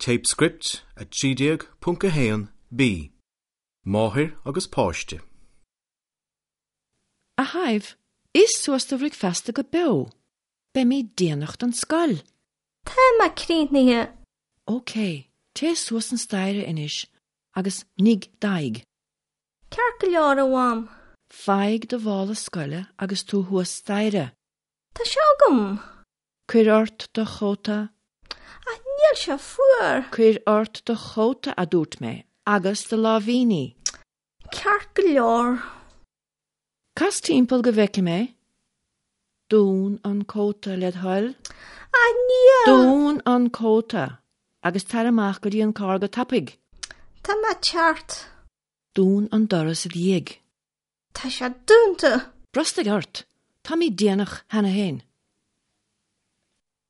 Téipscript 13.1 B. Máthair agus páiste. A Shadhbh, ith suas do bhricfeasta go beo! Beimid déanach don scoil! Tá mé críochnaithe. Ok, téigh suas an staighre anois agus nigh d'aghaidh. Ceart go leor, a Mham. Faigh do mhála scoile agus tú thuas staighre. Tá sé agam. Cuir ort do chóta. Ach níl sé fuar. Cuir ort do chóta, a dúirt mé, agus do láimhíní. Ceart go leor. Cas timpeall go bhfeice mé. Dún an cóta, led thoil. Ach níl. Dún an cóta agus tar amach go dtí an carr go tapaidh. Tá mé ag teacht. Dún an doras i do dhiaidh. Tá sé dúnta. Brostaigh ort! Táimid déanach cheana féin.